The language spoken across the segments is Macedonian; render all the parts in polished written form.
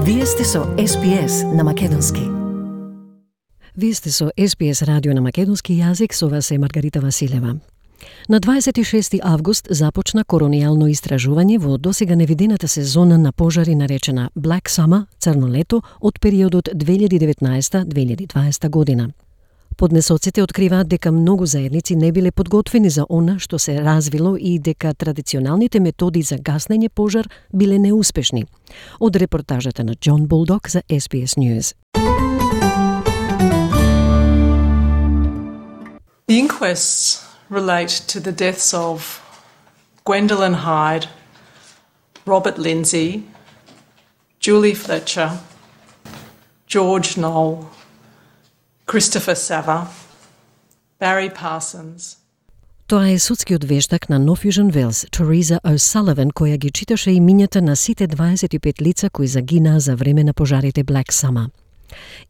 Вие сте со SPS на македонски. Вие сте со SPS радио на македонски јазик, со вас е Маргарита Василева. На 26 август започна коронијално истражување во досега невидената сезона на пожари наречена Black Summer, црно лето, од периодот 2019-2020 година. Поднесоците откриваат дека многу заедници не биле подготвени за она што се развило и дека традиционалните методи за гаснење пожар биле неуспешни. Од репортажата на Џон Булдог за SBS News. The inquests relate to the deaths of Gwendolyn Hyde, Robert Lindsay, Julie Fletcher, George Knoll, Christopher Sava, Barry Parsons. Тоа е судскиот вештак на North Fusion Wales, Teresa O'Sullivan, која ги читаше имињата на сите 25 лица кои загинаа за време на пожарите Black Summer.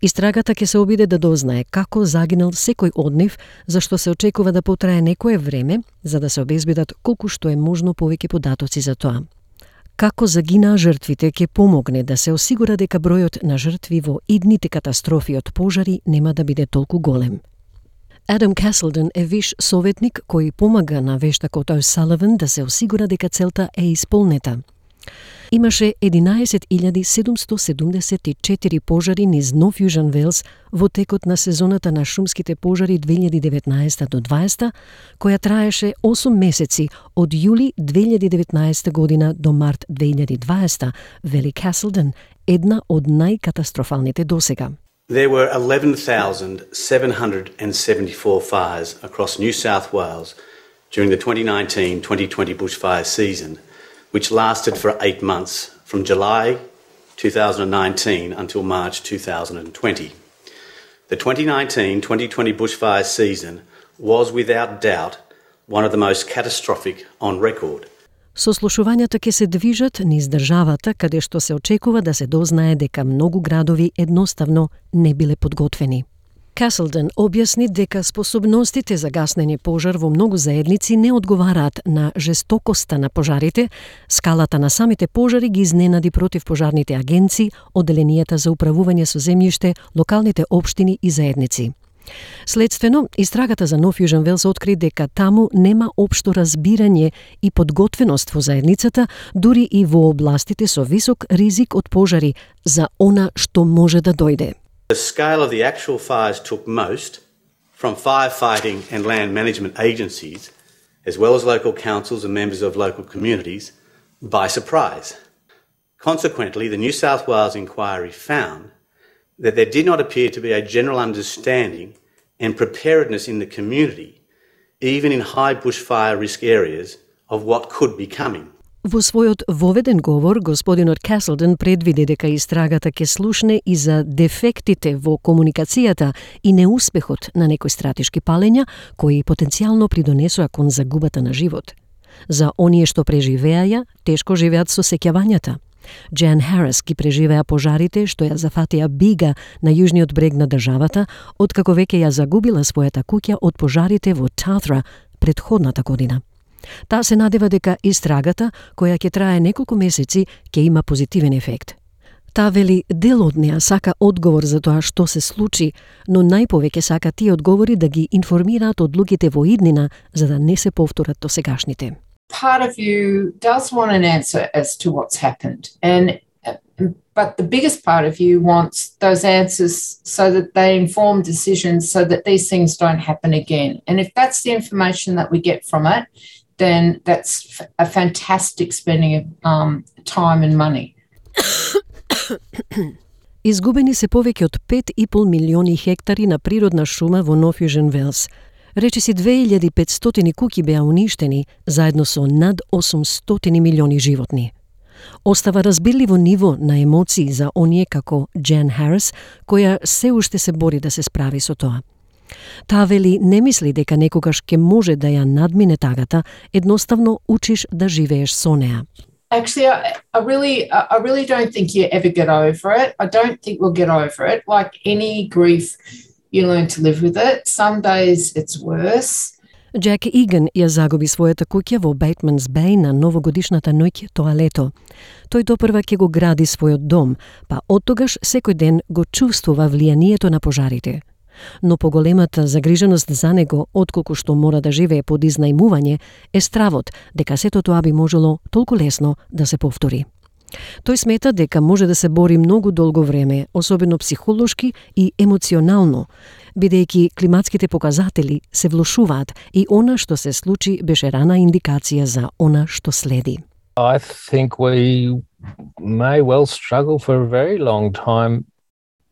Истрагата ќе се обиде да дознае како загинал секој од нив, зашто се очекува да потрае некое време, за да се обезбедат колку што е можно повеќе податоци за тоа. Како загинаа жртвите ќе помогне да се осигура дека бројот на жртви во идните катастрофи од пожари нема да биде толку голем. Адам Каселден е виш советник кој помага на вештакот O'Sullivan да се осигура дека целта е исполнета. Имаше 11.774 пожари низ North Fusion Wales во текот на сезоната на шумските пожари 2019 до 2020, која траеше 8 месеци од јули 2019 година до март 2020, вели Каселден, една од најкатастрофалните досега. There were 11,774 fires across New South Wales during the 2019-2020 bushfire season, which lasted for 8 months, from July 2019 until March 2020. The 2019-2020 bushfire season was without doubt one of the most catastrophic on record. Сослушувањата ќе се движат низ државата, каде што се очекува да се дознае дека многу градови едноставно не биле подготвени. Каселден објасни дека способностите за гаснење пожар во многу заедници не одговараат на жестокоста на пожарите, скалата на самите пожари ги изненади противпожарните агенции, одделенијата за управување со земјиште, локалните општини и заедници. Следствено, истрагата за North Fusion Wales откри дека таму нема општо разбирање и подготвеност во заедницата, дури и во областите со висок ризик од пожари, за она што може да дојде. The scale of the actual fires took most from firefighting and land management agencies, as well as local councils and members of local communities, by surprise. Consequently, the New South Wales inquiry found that there did not appear to be a general understanding and preparedness in the community, even in high bushfire risk areas, of what could be coming. Во својот воведен говор, господинот Каселден предвиди дека истрагата ќе слушне и за дефектите во комуникацијата и неуспехот на некои стратешки палења, кои потенцијално придонесоа кон загубата на живот. За оние што преживеаја, тешко живеат со сеќавањата. Jan Harris ги преживеа пожарите што ја зафатија Бига на јужниот брег на државата, откако веќе ја загубила својата куќа од пожарите во Tathra предходната година. Таа се надева дека истрагата, која ќе трае неколку месеци, ќе има позитивен ефект. Таа вели дел од неа сака одговор за тоа што се случи, но најповеќе сака тие одговори да ги информираат одлуките во иднина, за да не се повторат досегашните. Part of you does want an answer as to what's happened, but the biggest part of you wants those answers so that they inform decisions so that these things don't happen again. And if that's the information that we get from it, then that's a fantastic spending of time and money. Изгубени се повеќе од 5,5 милиони хектари на природна шума во North Fusion Wales. Речиси 2500 куќи беа уништени, заедно со над 800 милиони животни. Остава разбирливо ниво на емоции за оние како Jan Harris, која се уште се бори да се справи со тоа. Таа вели не мисли дека некогаш ќе може да ја надмине тагата, едноставно учиш да живееш со неа. Actually, I really don't think you ever get over it. I don't think we'll get over it. Like any grief, you learn to live with it. Some days it's worse. Джек Иган ја загуби својата куќа во Бейтманс Беј на новогодишната ноќ тоа лето. Тој допрва ќе го гради својот дом, па оттогаш секој ден го чувствува влијанието на пожарите. Но поголемата загриженост за него, отколку што мора да живее под изнајмување, е стравот дека сето тоа би можело толку лесно да се повтори. Тој смета дека може да се бори многу долго време, особено психолошки и емоционално, бидејќи климатските показатели се влошуваат и она што се случи беше рана индикација за она што следи. I think we may well struggle for a very long time,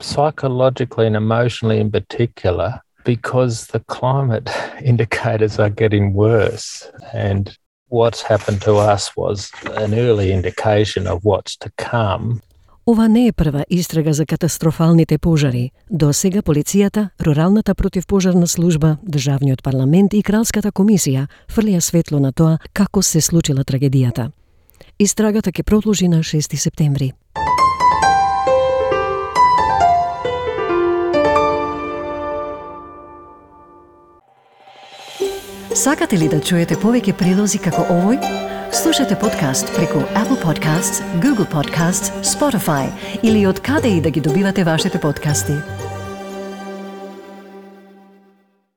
psychologically and emotionally in particular, because the climate indicators are getting worse. And what's happened to us was an early indication of what's to come. Ова не е прва истрага за катастрофалните пожари. До сега полицијата, Руралната противпожарна служба, Државниот парламент и Кралската комисија фрлија светло на тоа како се случила трагедијата. Истрагата ќе продолжи на 6 септември. Сакате ли да чуете повеќе прилози како овој? Слушате подкаст преку Apple Podcasts, Google Podcasts, Spotify или од каде и да ги добивате вашите подкасти.